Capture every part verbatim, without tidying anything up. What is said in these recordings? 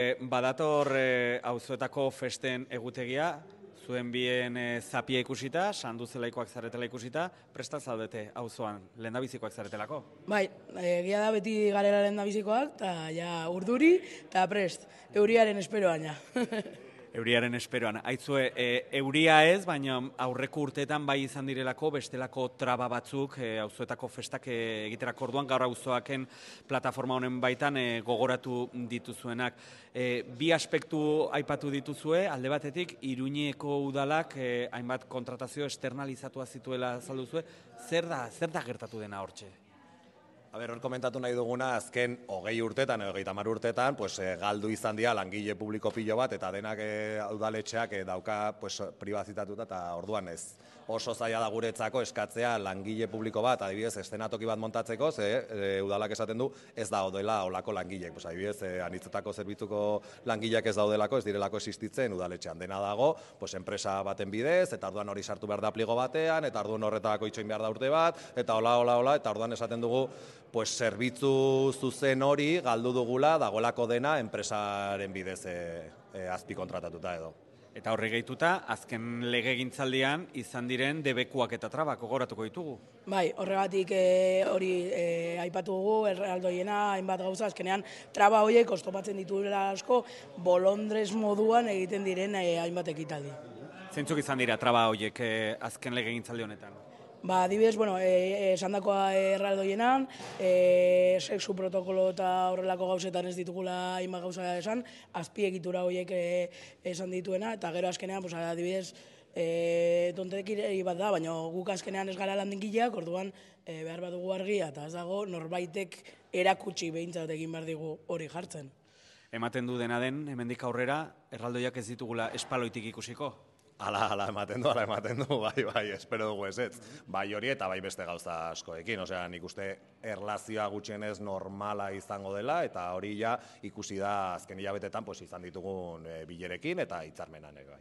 Badator auzoetako festen egutegia, zuen bien zapia ikusita, sanduzelaikoak zaretela ikusita, presta zaudete auzoan, lehendabizikoak zaretelako? Bai, egia da beti garela lehendabizikoak, eta ja urduri, eta prest, euriaren esperoan ja. Euriaren esperoan. Aitzue, e, euria ez, baina aurreko urteetan bai izan direlako bestelako traba batzuk e, auzoetako festak e, egiterako orduan, gaur auzoaken plataforma honen baitan e, gogoratu dituzuenak. E, bi aspektu aipatu dituzue, alde batetik, Iruñeko udalak e, hainbat kontratazio externalizatua zituela azalduzue. Zer da, zer da gertatu dena hortxe? A ber, hor komentatu nahi duguna, azken hogei urtetan, hogeita hamar urtetan, pues, e, galdu izan dira langile publiko pilo bat, eta denak e, udaletxeak e, dauka pues, pribazitatuta, eta orduan ez. Oso zaila da guretzako eskatzea langile publiko bat, adibidez, eszenatoki bat montatzeko, ze e, udalak esaten du, ez da odela olako langileek. Pues, adibidez, e, anitzetako zerbitzuko langileak ez daudelako, ez direlako existitzen udaletxean. Dena dago, pues, enpresa baten bidez, eta orduan hori sartu behar da pligo batean, eta orduan horretako itxoin behar da urte bat, eta hola, hola, hola, eta orduan esaten dugu, pues, zerbitzu zuzen hori galdu dugula dagoelako dena enpresaren bidez e, e, azpi kontratatuta edo. Eta horri gehituta, azken legegintzaldian izan diren debekuak eta trabak gogoratuko ditugu. Bai, horregatik e, hori e, aipatu dugu, erraldoiena, hainbat gauza, azkenean traba horiek oztopatzen dituela asko, bolondrez moduan egiten diren e, hainbat ekitaldi. Zeintzuk izan dira traba horiek e, azken legegintzaldi honetan? Ba, adibidez, bueno, esan dakoa erraldoienan, e, sexu protokolo eta horrelako gauzetan ez ditugula hainbat gauza esan, azpiegitura horiek e, esan dituena, eta gero azkenean, pues, adibidez, e, tontekiri bat da, baina guk azkenean ez gara landigileak, orduan e, behar bat dugu argia, eta ez dago norbaitek erakutsi behintzat egin behar digu hori jartzen. Ematen du dena den, hemendik aurrera, erraldoiak ez ditugula espaloitik ikusiko? Ala, ala, ematen du, ala, ematen du, bai, bai, espero dugu ez ez. Bai hori eta bai beste gauza askoekin, osea, nik uste erlazioa gutxienez normala izango dela, eta hori ja ikusi da azken hilabetetan pues, izan ditugun e, bilerekin eta hitzarmenan ere bai.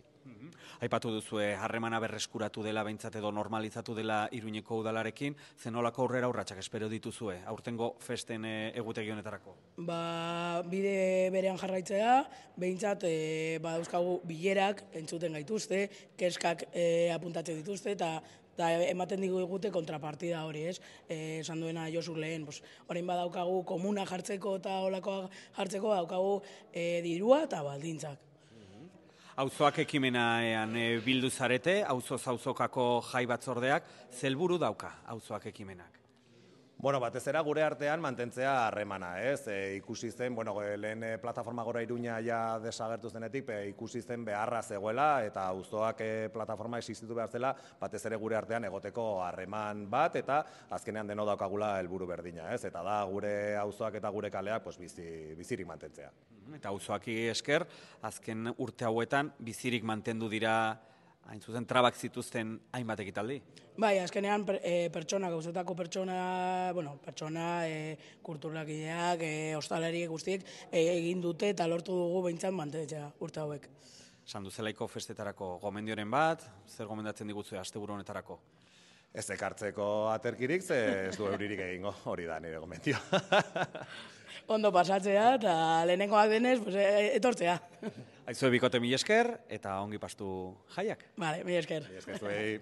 Aipatu duzue, harremana berreskuratu dela, behintzat edo normalizatu dela Iruñeko udalarekin, zenolako aurrera urratsak espero dituzue, aurtengo festen e, egutegi honetarako? Ba, bide berean jarraitzea, behintzat e, badauzkagu bilerak entzuten gaituzte, keskak e, apuntatzen dituzte, eta eta ematen digu egute kontrapartida hori, ez? E, esan duena Josu lehen, pues, orain badaukagu komuna jartzeko eta olakoa jartzeko, daukagu e, dirua eta baldintzak. Auzoak ekimenean e, bildu zarete, auzoz auzokako jai batzordeak, zelburu dauka auzoak ekimenak? Bueno, batez era gure artean mantentzea harremana, ez? E, ikusi zen, bueno, lehen e, plataforma Gora Iruña ja desagertu zenetik, e, ikusi zen beharra zegoela eta auzoak e, plataforma existitu behar zela, batez ere gure artean egoteko harreman bat eta azkenean deno daukagula helburu berdina, ez? Eta da gure auzoak eta gure kaleak pues, bizi, bizirik mantentzea. Eta auzoaki esker, azken urte hauetan bizirik mantendu dira hain zuzen trabak zituzten hainbat ekitaldi? Bai, azkenean e, pertsona, gauzetako pertsona, bueno, pertsona, e, kulturlakideak, e, ostalariek guztiek e, egin dute eta lortu dugu behintzat mantentzea urte hauek. Sanduzelaiko festetarako gomendioren bat, zer gomendatzen diguzue asteburu honetarako? Ez ekartzeko aterkirik, ze ez du euririk egingo, hori da nire gomendio. Ondo pasatzea eta lehenengoak denez, pues, etortzea. Aizue bikote mila esker eta ongi pastu jaiak. Vale, mila esker. Mila esker zuei.